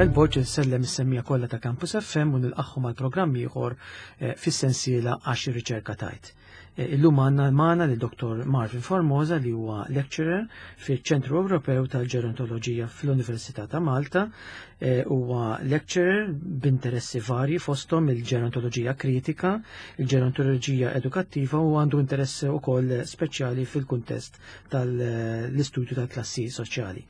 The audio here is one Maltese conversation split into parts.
Carmel Borg insellem is-semmija kollha ta' Campus FM u nilqagħhom għal programm ieħor eh, fis-sensiela għax ir-riċerka tajt. Eh, illum għandna magħna lil Dr. Marvin Formosa li huwa lecturer fiċ-Ċentru Ewropew tal-Ġerontoloġija fl-Università ta' Malta. Eh, huwa lecturer b'interessi varji fosthom il-ġerontoloġija kritika, il-ġerontoloġija edukattiva u għandu interess ukoll speċjali fil-kuntest tal-istudju tal-klassi soċjali.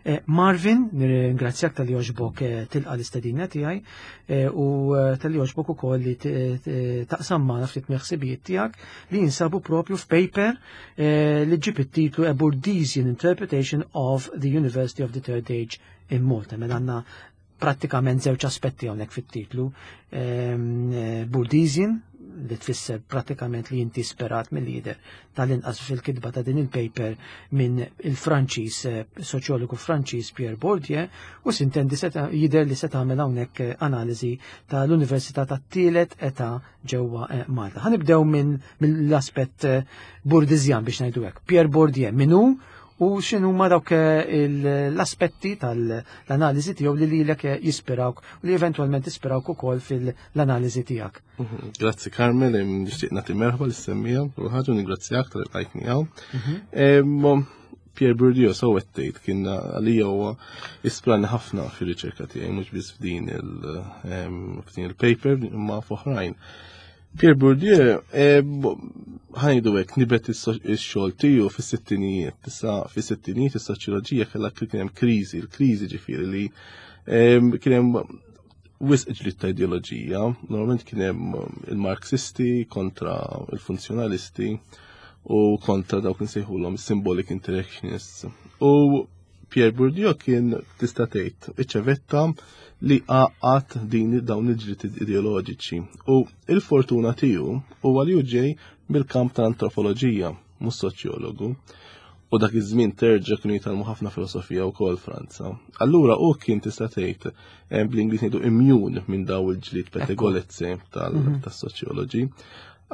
Eh, Marvin, nirringrazzjak tal-li oġbok eh, tilqa l-istedina tiegħi eh, u tal-li oġbok ukoll li taqsam magħna ftit mill-ħsibijiet tiegħek li jinsabu propju f'paper li ġib it-titlu A Bourdieusian Interpretation of the University of the Third Age in Malta. Mela għandna prattikament żewġ aspetti hawnhekk fit-titlu. Ehm, eh, Bourdieusian li tfisser pratikament li inti sperat mill-lider tal-inqas fil-kitba ta' din il-paper minn il-Franċiż eh, soċjologu Franċiż Pierre Bourdieu u sintendi jidher li se tagħmel hawnhekk eh, analiżi tal-Università tat-tielet età ġewwa Malta. Ħanibdew minn mill-aspett Bourdieusian biex ngħidu hekk. Pierre Bourdieu min hu u x'inhuma dawk eh, l-aspetti tal-analiżi tiegħu li lilek eh, jispirawk u li eventwalment jispirawk ukoll fil-analiżi tiegħek. Mhm. Grazzi Carmel, nixtieq nagħti merħba lis-semmija u ħaġa ningrazzjak tal-qajtni hawn. Mhm. Pierre Bourdieu so tgħid kien għalija huwa ispirani ħafna fir-riċerka tiegħi mhux biss f'din il-paper imma f'oħrajn. Pierre Bourdieu, eh, ħajdu hekk nibet ix-xogħol tiegħu fis-sittinijiet. Issa fis-sittinijiet is-soċjoloġija kellha kien hemm kriżi, l-kriżi ġifieri li kien hemm wisq ġlied ta' ideoloġija, normalment kien hemm il-Marxisti kontra il-funzjonalisti u kontra dawk nsejħulhom symbolic interactionists. U Pierre Bourdieu kien tista' tgħid iċ-ċevetta li għaqqad din dawn il-ġlied ideoloġiċi. U il-fortuna tiegħu huwa li hu ġej mill-kamp tal-antropoloġija, mhux soċjologu. U dak iż-żmien terġa' kienu jitgħallmu ħafna filosofija wkoll Franza. Allura hu kien tista' tgħid eh, bl-Ingliż ngħidu immune minn daw il-ġlied pettegolezzi mhm. tas-soċjoloġi.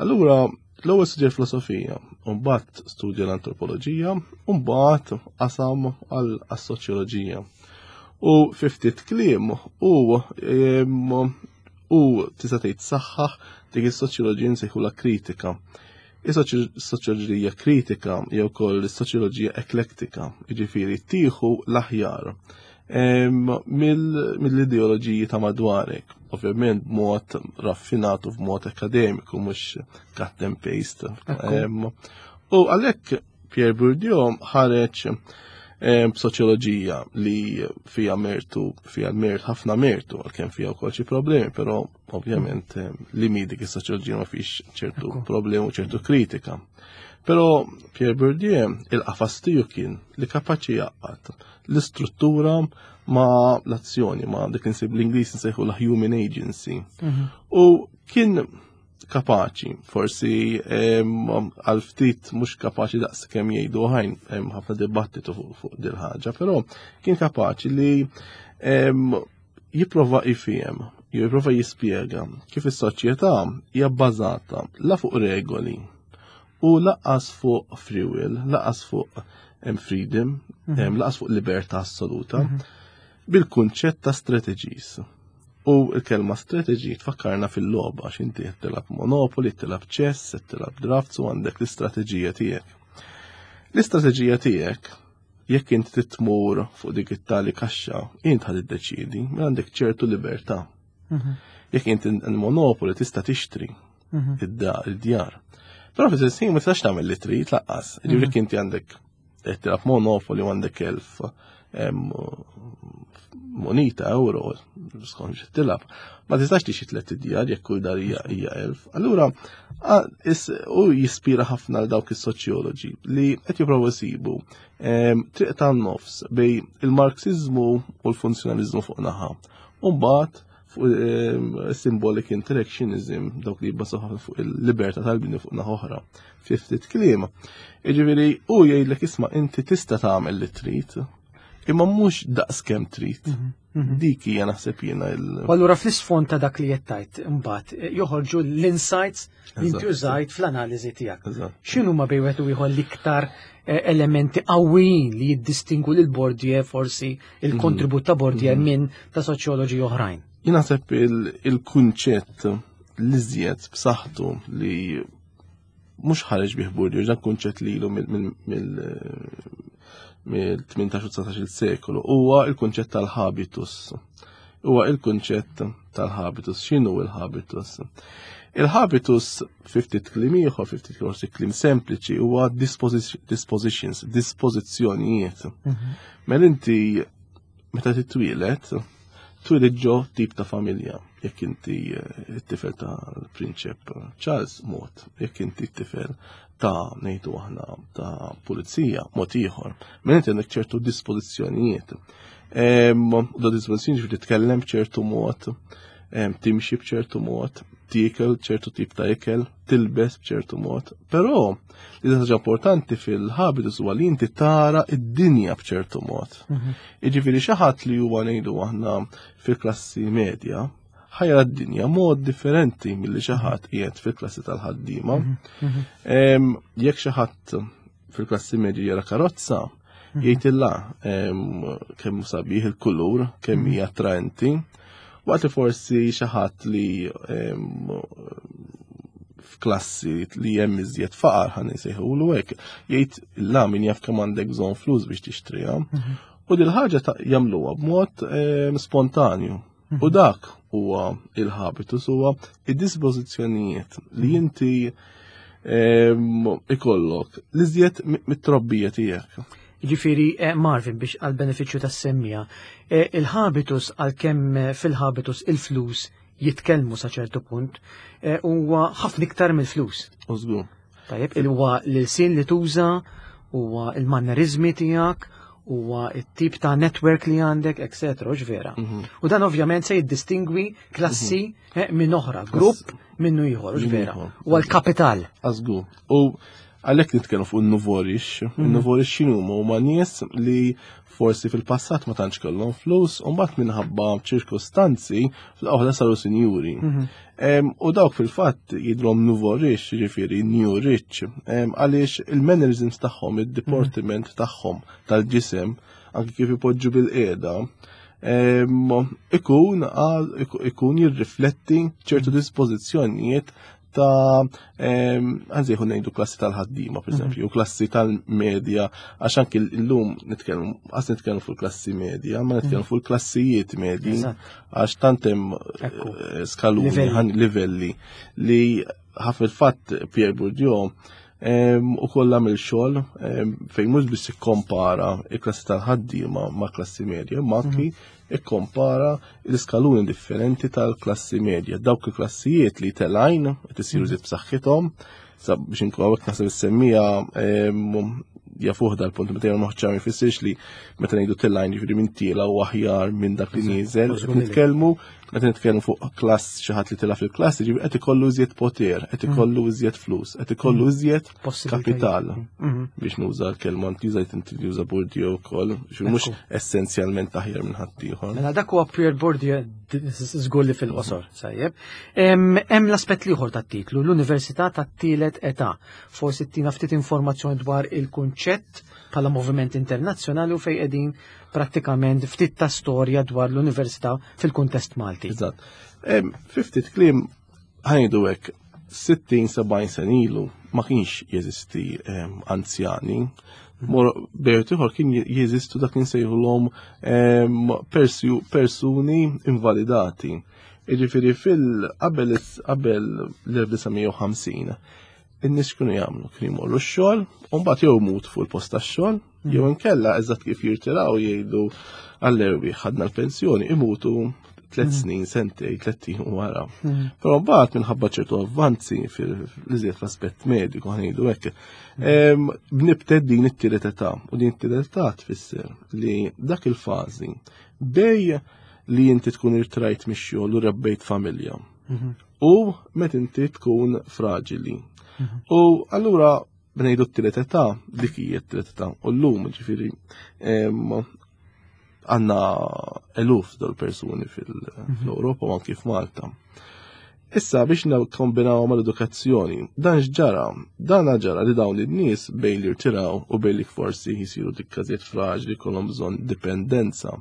Allura L-ewwel studja filosofija, u mbagħad studja l-antropoloġija, u mbagħad qasam għas-soċjoloġija. U fi ftit kliem u u tista' tgħid saħħaħ dik is-soċjoloġija nsejħulha kritika. Is-soċjoloġija kritika jew ukoll is-soċjoloġija eklektika, jiġifieri tieħu l-aħjar mill-ideoloġiji ta' madwarek. Ovvjament b'mod raffinat u b'mod akademiku, mhux cut and paste. U għalhekk Pierre Bourdieu ħareġ b'soċjoloġija li fija mertu, fija mert ħafna mertu, għalkemm fija wkoll xi problemi, però ovvjament li mi dik is-soċjoloġija ma fix ċertu problemi u ċertu kritika. Però Pierre Bourdieu il-qafas tiegħu kien li kapaċi jaqgħad l-istruttura ma l-azzjoni, ma dik insib l-Ingliż nsejħu la human agency. Mhm. U kien kapaċi, forsi għal ftit mhux kapaċi daqs kemm jgħidu ħajn, hemm ħafna dibattitu fuq dil ħaġa, però kien kapaċi li jipprova jifhem, jipprova jispjega kif is-soċjetà hija bbażata la fuq regoli u laqas fuq free will, laqas fuq freedom, mhm. laqas fuq libertà assoluta, mhm. bil-kunċett ta' strategies. U l-kelma strategy tfakkarna fil-logħba għax inti qed tilgħab Monopoly, tilgħab chess, qed tilgħab drafts u għandek l-istrateġija tiegħek. L-istrateġija tiegħek jekk inti titmur fuq dik it-tali kaxxa, int ħad iddeċiedi, mela għandek ċertu libertà. Mhm. Jekk inti l-monopoli tista' tixtri mhm. id-djar. Però fi ħin ma tistax tagħmel li trid laqqas. Ġifieri mhm. inti għandek qed tilgħab monopoli u għandek elf monita euro skont xi tilgħab. Ma tistax tixi tliet idjar jekk kull dar hija elf. Allura u jispira ħafna għal dawk is-soċjoloġi li qed jipprovaw isibu triq tan-nofs bej il-Marxiżmu u l-funzjonaliżmu fuq naħa. U mbagħad fuq symbolic interactionism dawk li jibbasu ħafna fuq il-libertà tal-bini fuq naħa oħra. Fi ftit kliem. Jiġifieri u jgħidlek isma' inti tista' tagħmel li trid. Imma mhux daqs kemm trid. Dik hija naħseb jiena il. U allura fl-isfond ta' dak li qed tgħid imbagħad joħorġu l-insights li inti użajt fl-analiżi tiegħek. X'inhuma bejn wieħed u ieħor l-iktar elementi qawwijin li jiddistingwu lil Bourdieu forsi il-kontribut ta' Bourdieu minn ta' soċjoloġi oħrajn? Jien naħseb il-kunċett l-iżjed b'saħħtu li mhux ħareġ bih Bourdieu, dan kunċett li ilu mill-18 u 19 sekolu, huwa il-kunċett tal-habitus. Huwa il-kunċett tal-habitus. X'inhu il-habitus? Il-habitus fi ftit kliem ieħor, fi ftit forsi kliem sempliċi, huwa dispositions, dispożizzjonijiet. Mela inti meta titwieled, twieled ġo tip ta' familja. Jekk inti t-tifel ta' Prinċep Charles mod, jekk inti t-tifel ta' ngħidu aħna ta' pulizija mod ieħor. Mela inti għandek ċertu dispożizzjonijiet. Da dispożizzjoni ġifieri titkellem b'ċertu mod, timxi b'ċertu mod, tiekel ċertu tip ta' ikel, tilbes b'ċertu mod. Però li ħaġa importanti fil-habitus huwa li inti tara id-dinja b'ċertu mod. Jiġifieri xi ħadd li huwa ngħidu aħna fil-klassi medja ħajra d-dinja mod differenti milli xi ħadd qiegħed fil-klassi tal-ħaddiema. Jekk xi ħadd fil-klassi medja jara karozza, jgħid illa kemm sabiħ il-kulur, kemm hija attraenti, waqt li forsi xi ħadd li f'klassi li hemm iżjed faqar ħa nsejħulu hekk, jgħid illa min jaf kemm għandek bżonn flus biex tixtriha. U dil ħaġa jagħmluha b'mod spontanju. U dak huwa il-habitus, huwa id-dispożizzjonijiet li inti ikollok li żjed mit-trobbija tiegħek. Ġifieri, Marvin, biex għal-benefiċċju tas-semmija, il-habitus għalkemm fil-habitus il-flus jitkellmu sa ċertu punt, huwa ħafna iktar mill-flus. U żgur. Tajjeb, huwa l-ilsien li tuża, huwa il-mannerizmi tiegħek, huwa it-tip ta' network li għandek, et cetera, hux vera? U dan ovvjament se jiddistingwi klassi minn oħra, grupp minnu ieħor, hux Minn vera? ieħor. Huwa l-kapital. Żgur. U għalhekk nitkellmu fuq il-nouveau riche. Il-nouveau riche x'inhu huma? Huma nies li forsi fil-passat ma tantx kellhom flus, u mbagħad minħabba ċirkostanzi fl-oħra saru sinjuri. U dawk fil-fatt jidhrom nouveau riche, jiġifieri new rich, għaliex il-mannerisms tagħhom, il-deportment tagħhom tal-ġisem, anki kif ipoġġu bil-qiegħda, ikun jirrifletti ċertu dispożizzjonijiet ta' għanzi jħu ngħidu klassi tal-ħaddiema, per eżempju, u klassi tal-medja, għax anki l-lum nitkellmu, għas nitkellmu fuq klassi medja, ma nitkellmu fuq klassijiet medji, għax tant hemm skaluni, Livelli. livelli li ħaf il-fatt Pierre Bourdieu u kollha mill-xogħol fejn mhux biss ikkompara il-klassi tal-ħaddiema ma' klassi medja, ma anki ikkompara l-iskaluni differenti tal-klassi medja. Dawk il-klassijiet li telgħin qed isiru żied b'saħħithom, sa biex inkun hawnhekk naħseb is-semmija jafuh dal-punt meta jgħu moħċa ma jfissirx li meta ngħidu telgħin jiġifieri minn tiela u aħjar minn dak li nieżel. Nitkellmu meta nitkellmu fuq klass xi ħadd li tela' fil-klassi, jiġifieri qed ikollu iżjed poter, qed ikollu iżjed flus, qed ikollu iżjed Possibilitajiet. kapital. Biex nuża l-kelma inti użajt inti li uża Bourdieu wkoll, jiġifieri mhux essenzjalment aħjar minn ħaddieħor. Mela dak huwa Pierre Bourdieu żgur li fil-qosor, sajjeb. Hemm l-aspett ieħor tat-titlu, l-Università tat-tielet età. Forsi tina ftit informazzjoni dwar il-kunċett bħala moviment internazzjonali u fejn qegħdin prattikament ftit ta' storja dwar l-Università fil-kuntest Malti. Eżatt. Fi ftit kliem ħa ngħidu hekk, 60-70 sena ilu ma kienx jeżisti anzjani. Mor bejt ieħor kien jeżistu dak li nsejħulhom persuni invalidati. Jiġifieri fil qabel qabel l-1950 in-nies kienu jagħmlu kienu jmorru x-xogħol u mbagħad jew imut fuq il-post tax-xogħol, jew inkella eżatt kif jirtiraw jgħidu għall-erwi ħadna l-pensjoni imutu 3 snin, sentej, 3 ijiem wara. Però mbagħad minħabba ċertu avvanzi fil-iżjed fl-aspett mediku ħa ngħidu hekk, bnibtet din it-tielet età u din it-tielet età tfisser li dak il-fażi bej li inti tkun irtrajt mix-xogħol u rebbejt familja. U meta inti tkun fraġili. U allura bnejdu t-tielet età, dik hija t-tielet età. U llum ġifieri Għandna eluf dal persuni fil-Ewropa u anki f'Malta. Issa biex nikkombinaw mal-edukazzjoni, dan x'ġara? Dan ġara li dawn in-nies bejn li rtiraw u bejn li forsi jisiru dik każijiet fraġli kollhom bżonn dipendenza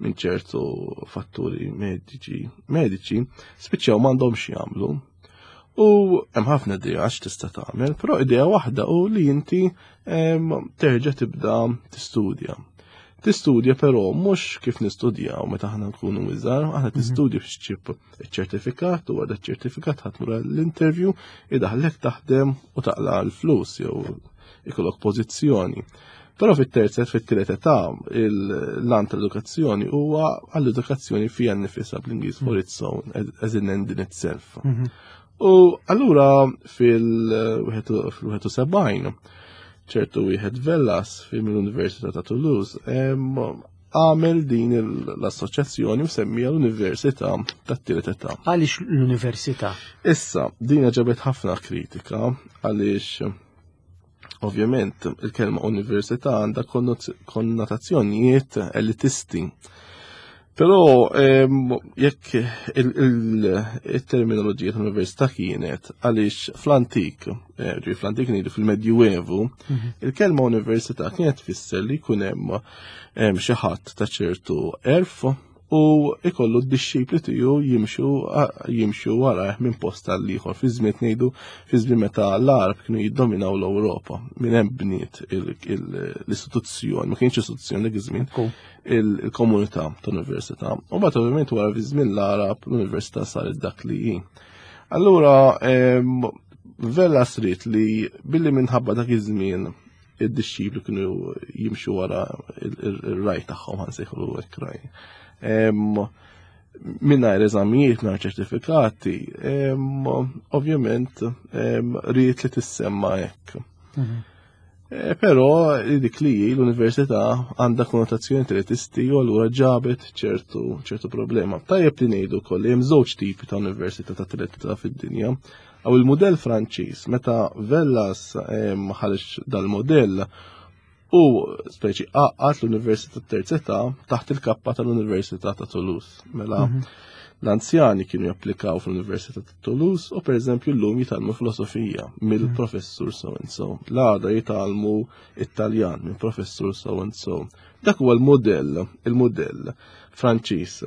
minn ċertu fatturi mediċi, mediċi spiċċaw m'għandhomx jagħmlu. U hemm ħafna idea x'tista' tagħmel, però idea waħda u li inti terġa' tibda tistudja. Tistudja però mhux kif nistudjaw meta aħna nkunu iżgħar, aħna mhm. tistudja biex ċib iċ-ċertifikat u wara ċ-ċertifikat ħadd mura l-interview idaħlek taħdem u taqla l-flus jew ikollok pożizzjoni. Però fit-terza fit-tielet età l-għan tal-edukazzjoni huwa għall-edukazzjoni fija nnifisha bl-Ingliż for its own as an end in itself. Mhm. U allura fil-71 ċertu wieħed Vellas fil-Università ta' Toulouse għamel din l-assoċjazzjoni u semmija l-Università tat-tielet età. Għaliex l-Università? Issa, din ġabet ħafna kritika għaliex ovvjament il-kelma università għandha konnotazzjonijiet elitisti. Però jekk il-terminoloġija tal-università kienet għaliex fl-antik, eh, ġi fl-antik ngħidu fil-Medjuevu, mhm. il-kelma università kienet tfisser li jkun hemm xi ħadd ta' ċertu erf u ikollu d-dixxipli tiegħu jimxu jimxu warajh minn post għal ieħor fi żmien ngħidu fi żmien meta l-Arab kienu jiddominaw l-Ewropa minn hemm bniet l-istituzzjoni, ma kienx istituzzjoni dak iż-żmien il-komunità tal-università. U mbagħad ovvjament wara fi żmien l-Arab l-università saret dak li hi. Allura Vella srit li billi minħabba dak iż-żmien id-dixxipli kienu jimxu wara il-raj tagħhom ħansejħu hekk raj. Mingħajr eżamijiet, mingħajr ċertifikati, ovvjament ried li tissemma hekk. Mhm. Eh, però dik li l-università għandha konnotazzjoni elitisti u allura ġabet ċertu ċertu problema. Tajjeb li ngħidu wkoll li hemm żewġ tipi ta' università ta' tlieta fid-dinja. Aw il-mudell Franċiż, meta Vellas eh, ħareġ dal-modell u speċi għaqqat l-Università Terzetà taħt il-kappa tal-Università ta' Toulouse. Mela mhm. l-anzjani kienu japplikaw fl-Università ta' Toulouse u pereżempju llum jitgħallmu filosofija mill-professur so and so. L-għada jitgħallmu Italjan minn professur so and so. Dak huwa l-modell, il-modell Franċiż.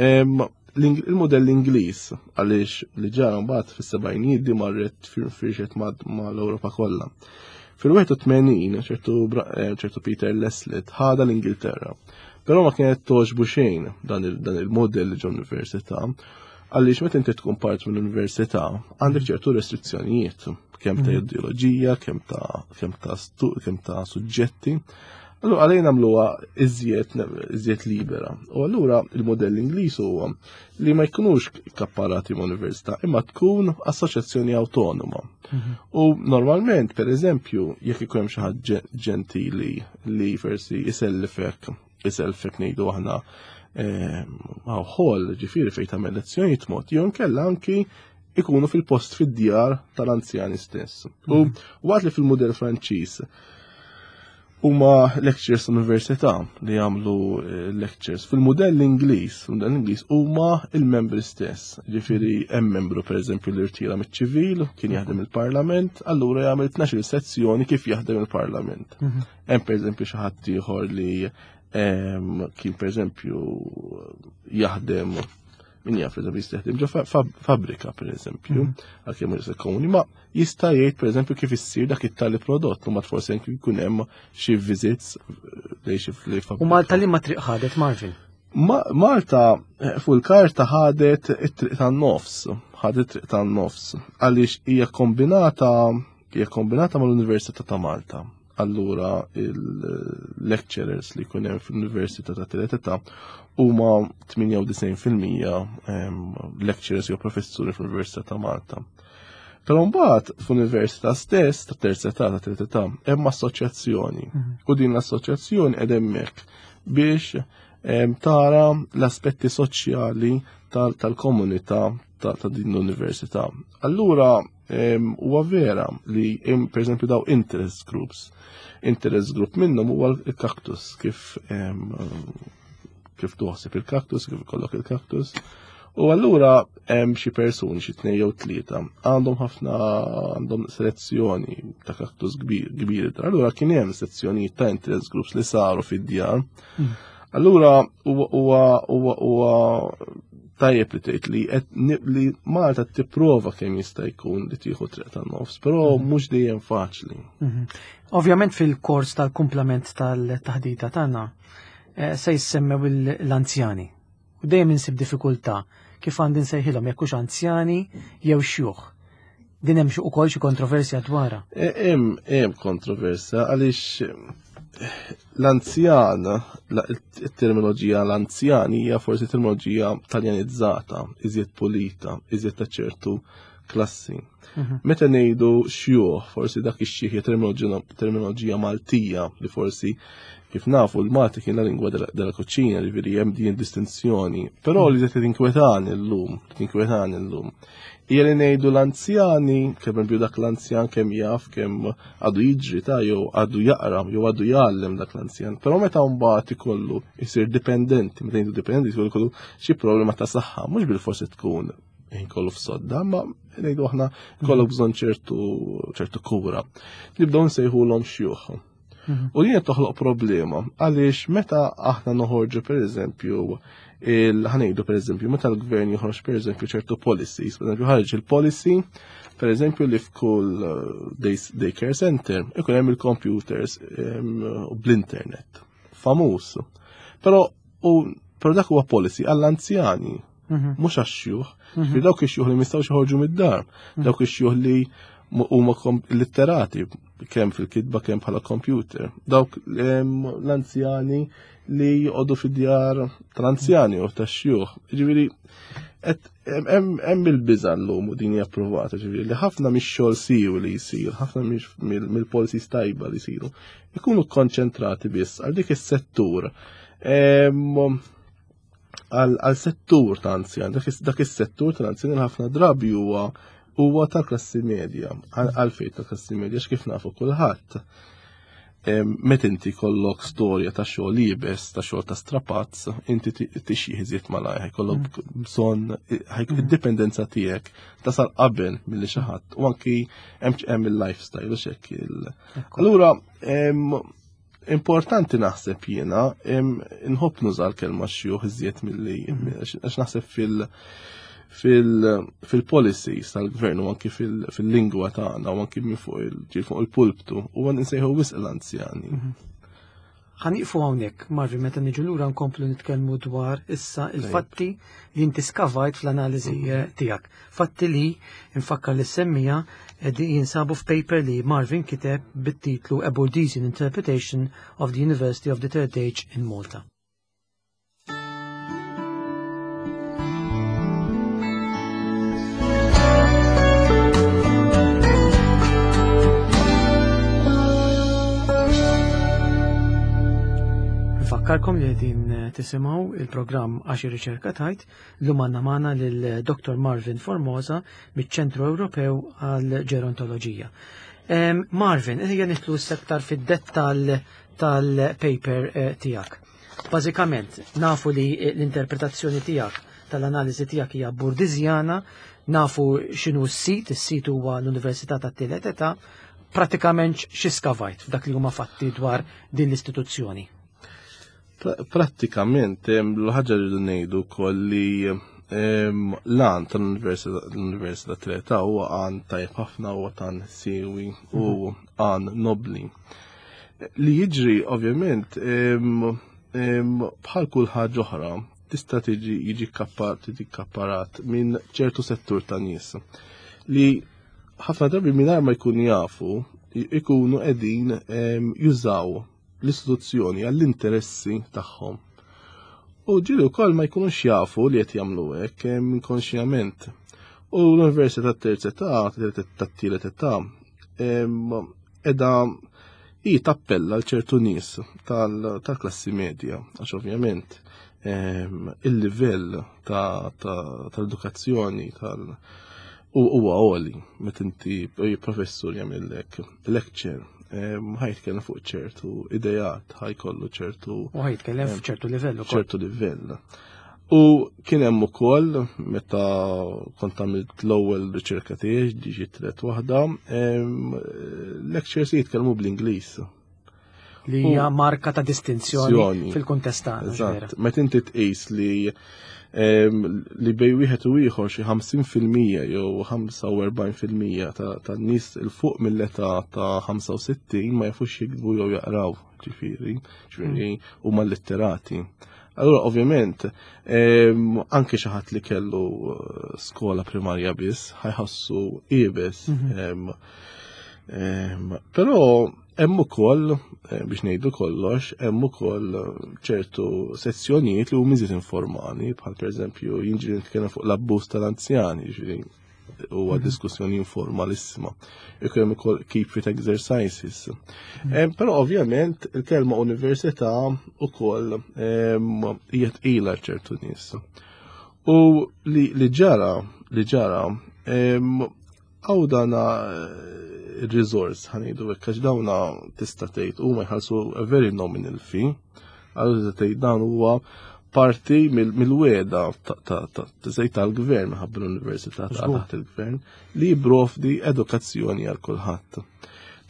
Il-modell Ingliż għaliex li ġara mbagħad fis-sebgħinijiet di marret firxet mal-Ewropa kollha. Fil-81 ċertu eh, ċertu Peter Leslie ħada l-Ingilterra. Però ma kienet toġbu xejn dan il-modell ġo università għaliex meta inti tkun part mill-università għandek ċertu restrizzjonijiet kemm ta' mhm. ideoloġija, kemm ta' kemm ta' kemm ta' suġġetti. Allura għalejn nagħmluha iżjed iżjed libera. U allura il-modell Ingliż huwa li ma jkunux kapparati ma' università, imma tkun assoċjazzjoni awtonoma. Mhm. U normalment, per eżempju, jekk ikun hemm xi ħadd ġentili li forsi isellifek, isellfek ngħidu aħna ħol ġifieri fejn tagħmel lezzjonijiet mod, jew inkella anki ikunu fil-post fid-djar tal-anzjani stess. U mhm. waqt li fil-mudell Franċiż huma lectures università li jagħmlu eh, lectures. Fil-mudell Ingliż, mudell Ingliż huma il-membri stess. Ġifieri hemm membru pereżempju li rtira miċ-ċivil, kien jaħdem il-Parlament, allura jagħmel 12 sezzjoni kif jaħdem il-Parlament. Mhm. Hemm pereżempju xi ħadd ieħor li ehm, kien pereżempju jaħdem min jaf pereżempju jista' jaħdem ġo fabbrika pereżempju, mhm. għalkemm mhux komuni, ma jista' jgħid pereżempju kif issir dak it-tali prodott, u ma forsi anke jkun hemm xi visits lejn xi fabbrika. U Malta li ma triq ħadet Marvin? Malta eh, fuq il-karta ħadet it-triq tan-nofs, ħadet it-triq tan-nofs, għaliex hija kombinata hija kombinata mal-Università ta' Malta. Allura il-lecturers li jkun hemm fl-Università ta' Tielet Età huma 98% ehm, lecturers jew professuri fl-Università ta' Malta. Però mbagħad fl-università stess ta' terza età ta' tielet età hemm assoċjazzjoni. Mhm. U din l-assoċjazzjoni qed hemmhekk biex ehm, tara l-aspetti soċjali tal-komunità ta' din l-università. Allura Huwa vera li per eżempju daw interest groups. Interest group minnhom huwa l-kaktus kif kif tuħseb il-kaktus, kif ikollok il-kaktus. U allura hemm xi persuni xi tnejn jew tlieta għandhom ħafna għandhom selezzjoni ta' kaktus kbir kbir. Allura kien hemm sezzjonijiet ta' interest groups li saru fid-djar. Allura huwa huwa huwa tajjeb li tgħid li li Malta tipprova kemm jista' jkun li tieħu triq tan-nofs, però mhm. mhux dejjem faċli. Mhm. Ovvjament fil-kors tal-kumplament tal-taħdita tagħna eh, se jissemmew l-anzjani. U dejjem insib diffikultà kif għandi nsejħilhom jekk hux anzjani jew xjuħ. Din hemm ukoll xi kontroversja dwarha. E, hemm hemm kontroversja għaliex eh, l-anzjan, it-terminoloġija l-anzjan hija forsi terminoloġija taljanizzata, iżjed pulita, iżjed ta' ċertu klassi. Mhm. Meta ngħidu xjuħ, forsi dak ix-xieħ terminoloġija Maltija li forsi kif nafu l-Malti kien la lingwa della cucina, ġifieri hemm din distinzjoni. Però li qed tinkwetani llum, tinkwetani llum. Hija li ngħidu l-anzjani, kemm eżempju dak l-anzjan kemm jaf kemm għadu jiġri ta' jew għadu jaqra jew għadu jgħallem dak l-anzjan. Però meta mbagħad ikollu jsir dipendenti, meta ngħidu dipendenti jkollu xi problema ta' saħħa, mhux bil-forsi tkun ħin kollu f'sodda, ma ngħidu aħna kollok bżonn ċertu ċertu kura. Nibdew nsejħulhom xjuħ. Mhm. U din toħloq problema għaliex meta aħna noħorġu pereżempju il-ħanejdu pereżempju meta l-gvern joħroġ pereżempju ċertu policies, pereżempju ħareġ il-policy pereżempju li f'kull eh, daycare center ikun hemm il-computers bl-internet. Famuż. Però u però dak huwa policy għall-anzjani mhm. mhux għax-xjuħ. Mhm. Dawk ix-xjuħ li mistgħux joħorġu mid-dar, mhm. dawk ix-xjuħ li huma litterati kemm fil-kitba kemm bħala computer. Dawk l-anzjani li joqogħdu fid-djar tal-anzjani u tax-xjuħ. Ġifieri hemm il-biża llum u din hija approvata, ġifieri li ħafna mix-xogħol siwi li jsir, ħafna mill-policies tajba li jsiru, ikunu konċentrati biss għal dik is-settur għal settur ta' anzjan, dak is-settur ta' anzjan ħafna drabi huwa huwa ta' klassi medja, għalfejn ta' klassi medja x'kif nafu kulħadd. Met inti kollok storja ta' xogħol iebes, ta' xogħol ta' strapazz, inti tixjih iżjed malajr, ħajkollok mm. bżonn id-dipendenza tiegħek tasal qabel milli xi ħadd u anki hemm il-lifestyle u x'hekk. Allura Importanti naħseb jiena, nħobb nuża l-kelma xjuħ iżjed milli għax naħseb fil- fil-policies tal-gvern u anki fil-lingwa tagħna u anki minn fuq il fuq il-pulptu u għan insejħu wisq l-anzjani. Mhm. Ħaniqfu hawnhekk, Marvin, meta niġu lura nkomplu nitkellmu dwar issa il-fatti li inti skavajt fl-analiżi mhm. eh, tiegħek. Fatti li nfakkar li semmija jinsabu f'paper li Marvin kiteb bit-titlu A Bourdieusian Interpretation of the University of the Third Age in Malta. Nfakkarkom li qegħdin tisimgħu il-programm Għax ir-Riċerka Tajt. Llum għandna magħna lil Dr. Marvin Formosa miċ-Ċentru Ewropew għal Ġerontoloġija. Marvin, ejja nidħlu sektar fid-dettall tal-paper eh, tiegħek. Bażikament, nafu li l-interpretazzjoni tiegħek tal-analiżi tiegħek hija burdizjana, nafu x'inhu s-sit, is-sit huwa l-Università tat-Tielet Età, pratikament xi skavajt f'dak li huma fatti dwar din l-istituzzjoni. Prattikament, l-ħaġa li ngħidu wkoll li l-għan tal-Università Treta huwa għan tajjeb ħafna huwa tan siwi u mhm. għan nobli. Li jiġri ovvjament bħal kull ħaġa oħra tista' tiġi jiġi tiġi kapparat minn ċertu settur ta' nies li ħafna drabi mingħajr ma jkunu jafu ikunu qegħdin jużaw l-istituzzjoni għall-interessi tagħhom. U ġieli wkoll ma jkunux jafu li qed jagħmlu hekk inkonxjament. U l-Università tat-terza età, tat-tielet età, edha hi tappella l ċertu nies tal-klassi medja, għax ovvjament il-livell tal-edukazzjoni tal- huwa għoli meta inti professur jagħmellek lecture. Ħa jitkellem fuq ċertu idejat, ħa jkollu ċertu. U ħa jitkellem fuq ċertu livell ukoll. ċertu livell. U kien hemm ukoll meta kont għamilt l-ewwel riċerka tiegħi diġi tret waħda, lectures jitkellmu bl-Ingliż. Li hija marka ta' distinzjoni fil-kuntest tagħna. Eżatt, meta inti tqis li li bej wieħed u ieħor xi 50% jew 45% tan-nies il fuq mill-età ta' 65 ma jafux jiktbu jew jaqraw, ġifieri, ġifieri hmm. huma litterati. Allura ovvjament anke xi ħadd li kellu eh, skola primarja biss ħajħassu iebes. Mhm. Però hemm ukoll eh, biex ngħidu kollox, hemm ukoll eh, ċertu sezzjonijiet li huma iżjed informali, bħal pereżempju jinġri nitkellem fuq l-abbuż tal-anzjani, ġifieri huwa mhm. diskussjoni informalissima. Ikun hemm ukoll keep fit exercises. Mhm. Però ovvjament il-kelma università ukoll hija tqila ċertu nies. U li ġara, li ġara, Għaw dana eh, il-resource ħanidu hekk għax dawna tista' tgħid huma jħallsu a very nominal fee. Allura tista' tgħid dan huwa parti mill-weda ta' tal-gvern minħabba l-università ta' taħt il-gvern li jipprovdi edukazzjoni għal kulħadd.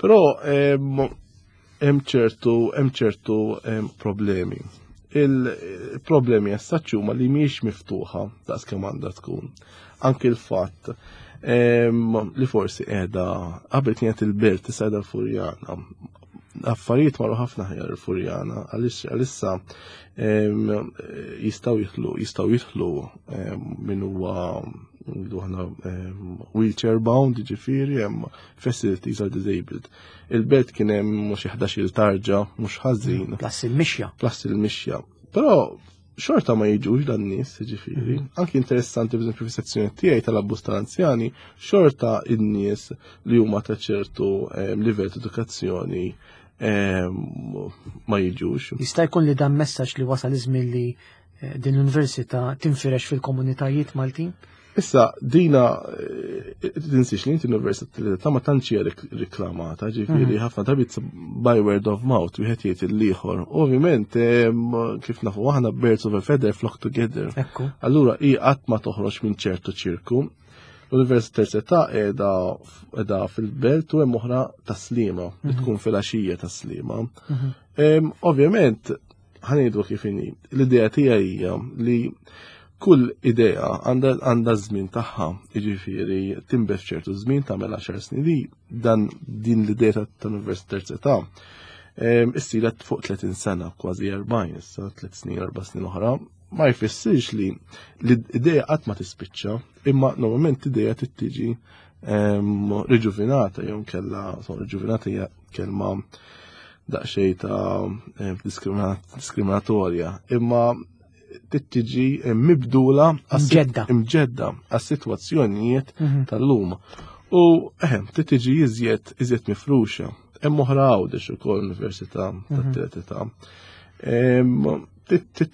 Però hemm ċertu hemm ċertu problemi. Il-problemi essaċ huma li mhijiex miftuħa daqs kemm għandha tkun. Anki l-fatt li forsi qiegħda qabel kienet il-belt issa qiegħda l-Furjana. Affarijiet marru ħafna ħjar il-Furjana għaliex għalissa jistgħu jidħlu jistgħu jidħlu min huwa aħna wheelchair bound, ġifieri hemm facilities are disabled. Il-belt kien hemm mhux 11-il tarġa, mhux ħażin. Plus il-mixja. Plus il-mixja. Però xorta ma jiġux dan nies, ġifieri. Mhm. Anki interessanti b'eżempju fis-sezzjoni tiegħi tal-abbuż tal-anzjani, xorta in-nies li huma ta' ċertu ehm, livell ta' edukazzjoni ehm, ma jiġux. Jista' jkun li dan messaġġ li wasal iż-żmien li eh, din l-università tinfirex fil-komunitajiet Maltin? Issa, dina, eh, tinsiex li inti l-università ta' ma tantx hija riklamata, ġifieri mhm. ħafna drabi by word of mouth, wieħed jgħid il-ieħor. Ovvjament, kif nafu aħna birds of a feather flock together. Allura hi qatt ma toħroġ minn ċertu ċirku. L-Università qiegħda qiegħda fil-belt u hemm oħra taslima, li mhm. tkun fil-għaxija taslima. Mhm. Ovvjament, ħanejdu kif inhi. L-idea tiegħi hija li kull idea għandha żmien tagħha, jiġifieri tinbet ċertu żmien tagħmel 10 snin li dan din l-idea tal-Università Terzetà issira fuq 30 sena, kważi 40 issa, 3 snin, 4 snin oħra, ma jfissirx li l-idea qatt ma tispiċċa, imma normalment l-idea tittiġi riġuvinata jew kella, riġuvinata hija kelma daqsxejn ta' eh, diskriminatorja, imma tiġi eh, mibdula imġedda għas-sitwazzjonijiet mhm. tal-lum. U eħem, eh, tiġi iżjed iżjed mifruxa. Hemm oħra għawdex ukoll Università mhm. tat-tielet età.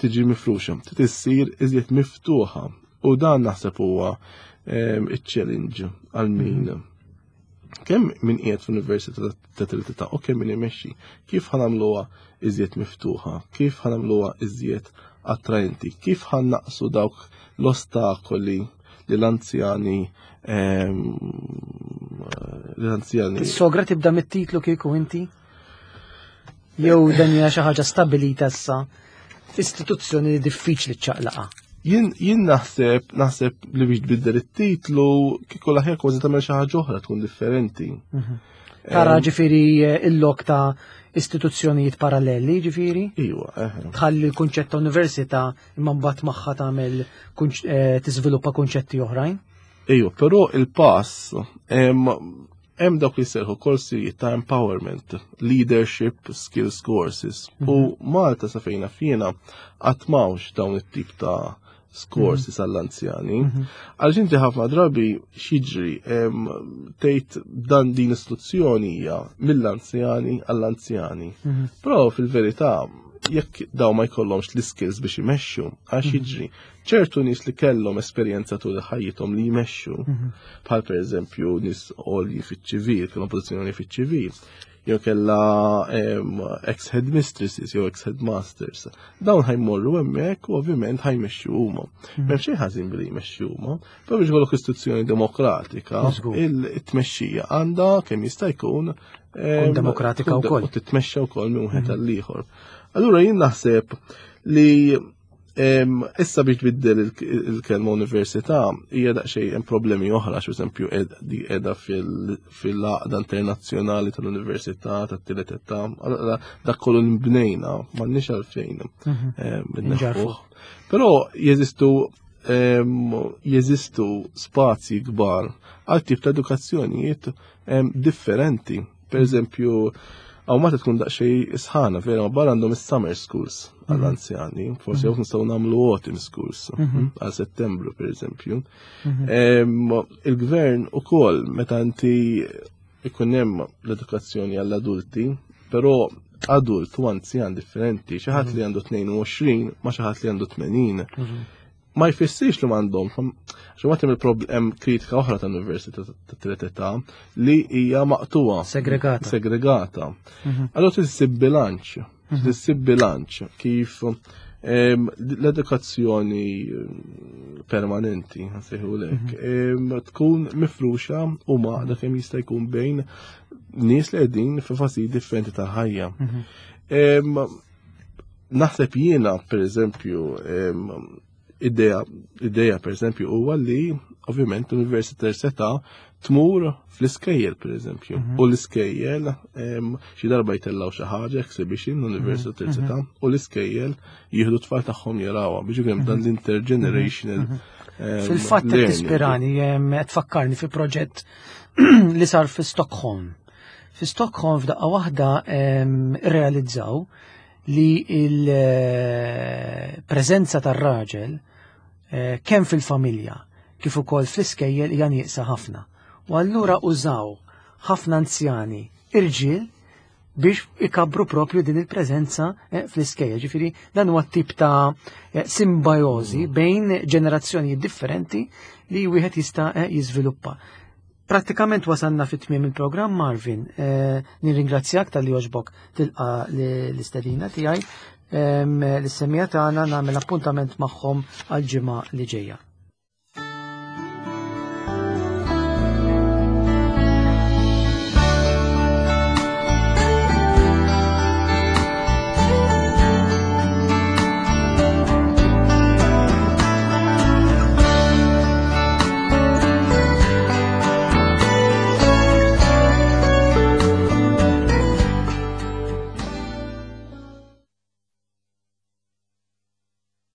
Tiġi mifruxa, tissir iżjed miftuħa. U dan naħseb huwa iċ-challenge għal min mhm. Kemm min qiegħed f'università ta' tritità u kemm min imexxi. Kif ħanamluha iżjed miftuħa, kif ħanamluha iżjed attraenti, kif ħannaqsu dawk l-ostakoli li l-anzjani ehm, l-anzjani. Is-sogra tibda mit-titlu kieku inti? Jew dan hija xi ħaġa stabilita issa istituzzjoni li diffiċli ċċaqlaqa. Jien jien naħseb naħseb li biex tbiddel it-titlu kieku l-aħjar kważi tagħmel xi ħaġa oħra tkun differenti. Mhm. Tara ġifieri eh, il-lok ta' istituzzjonijiet paralleli ġifieri? Iwa, Tħalli l-kunċett ta' università imma mbagħad magħha tagħmel eh, tiżviluppa kunċetti oħrajn? Iwa, però il-pass Hemm dawk li serħu korsijiet ta' empowerment, leadership skills courses. Mm -hmm. U mhm. Malta sa fejna fjena qatt m'hawnx dawn it-tip ta' courses mhm. għall-anzjani. Mhm. Għaliex inti ħafna drabi xiġri tgħid dan din istituzzjoni hija mill-anzjani għall-anzjani. Però fil-verità Jekk daw ma jkollhomx l-iskills biex imexxu, għax mhm. jiġri. Ċertu nies li kellhom esperjenza tul ħajjithom li jmexxu, mhm. bħal pereżempju nies għolji fiċ-ċivil, kellhom pożizzjoni fiċ-ċivil, jew kella ex-headmistresses jew ex-headmasters. Dawn ħajmorru hemmhekk u ovvjament ħajmexxu huma. Mhm. M'hemm xejn ħażin billi jmexxu huma, però biex ikollok istituzzjoni demokratika, il-tmexxija għandha kemm jista' jkun Tkun demokratika wkoll. U titmexxa wkoll minn wieħed mhm. għall ieħor. Allura jien naħseb li issa biex tbiddel il-kelma università hija daqsxejn hemm problemi oħra, għax eżempju di qiegħda fil-għaqda internazzjonali tal-università tat-tielet età, dak kollu nbnejna m'għandniex għalfejn mhm. Però jeżistu jeżistu spazji kbar għal tip ta' edukazzjonijiet differenti. Per eżempju, għaw ma tkun daqxej isħana, vera, ma barra għandhom is-summer schools mhm. għall-anzjani, forsi għaw nistgħu nagħmlu autumn schools mhm. għal settembru, per eżempju. Mhm. Il-gvern ukoll meta inti ikun hemm l-edukazzjoni għall-adulti, però adult u anzjan differenti, xi ħadd li għandu 22 ma xi ħadd li għandu 80. Ma jfissirx li m'għandhom, xi waqt hemm il-problem kritika oħra ta' università ta' tielet età li hija maqtuha. Segregata. Segregata. Mhm. Allora trid issib bilanċ, mhm. trid issib bilanċ kif l-edukazzjoni permanenti, nsejħu lek, mhm. tkun mifruxa u maqda kemm jista' jkun bejn nies li qegħdin fi fażi differenti tal-ħajja. Naħseb jiena, per eżempju, idea, idea per eżempju, huwa li ovvjament l-Università seta tmur fl-iskejjel per eżempju. Mhm. U l-iskejjel xi darba jtellaw xi ħaġa exhibition l-Università mhm. seta u l-iskejjel jieħdu tfal tagħhom jarawha biex ikun dan mhm. l-intergenerational. Fil-fatt qed tispirani qed tfakkarni fi proġett li sar fi Stockholm. Fi Stockholm f'daqqa waħda realizzaw li il-preżenza tar-raġel eh, kemm fil-familja kif ukoll fl-iskejjel hija nieqsa ħafna. U allura użaw ħafna anzjani irġiel biex ikabru propju din il-preżenza eh, fl-iskejjel. Ġifieri dan huwa tip ta' eh, simbajozi mm. bejn ġenerazzjonijiet differenti li wieħed jista' jiżviluppa. Prattikament wasalna fi tmiem il-programm Marvin. Eh, nirringrazzjak tal-li oġbok tilqa l-istedina tiegħi. L-issemija tagħna nagħmel appuntament magħhom għal ġimgħa li ġejja.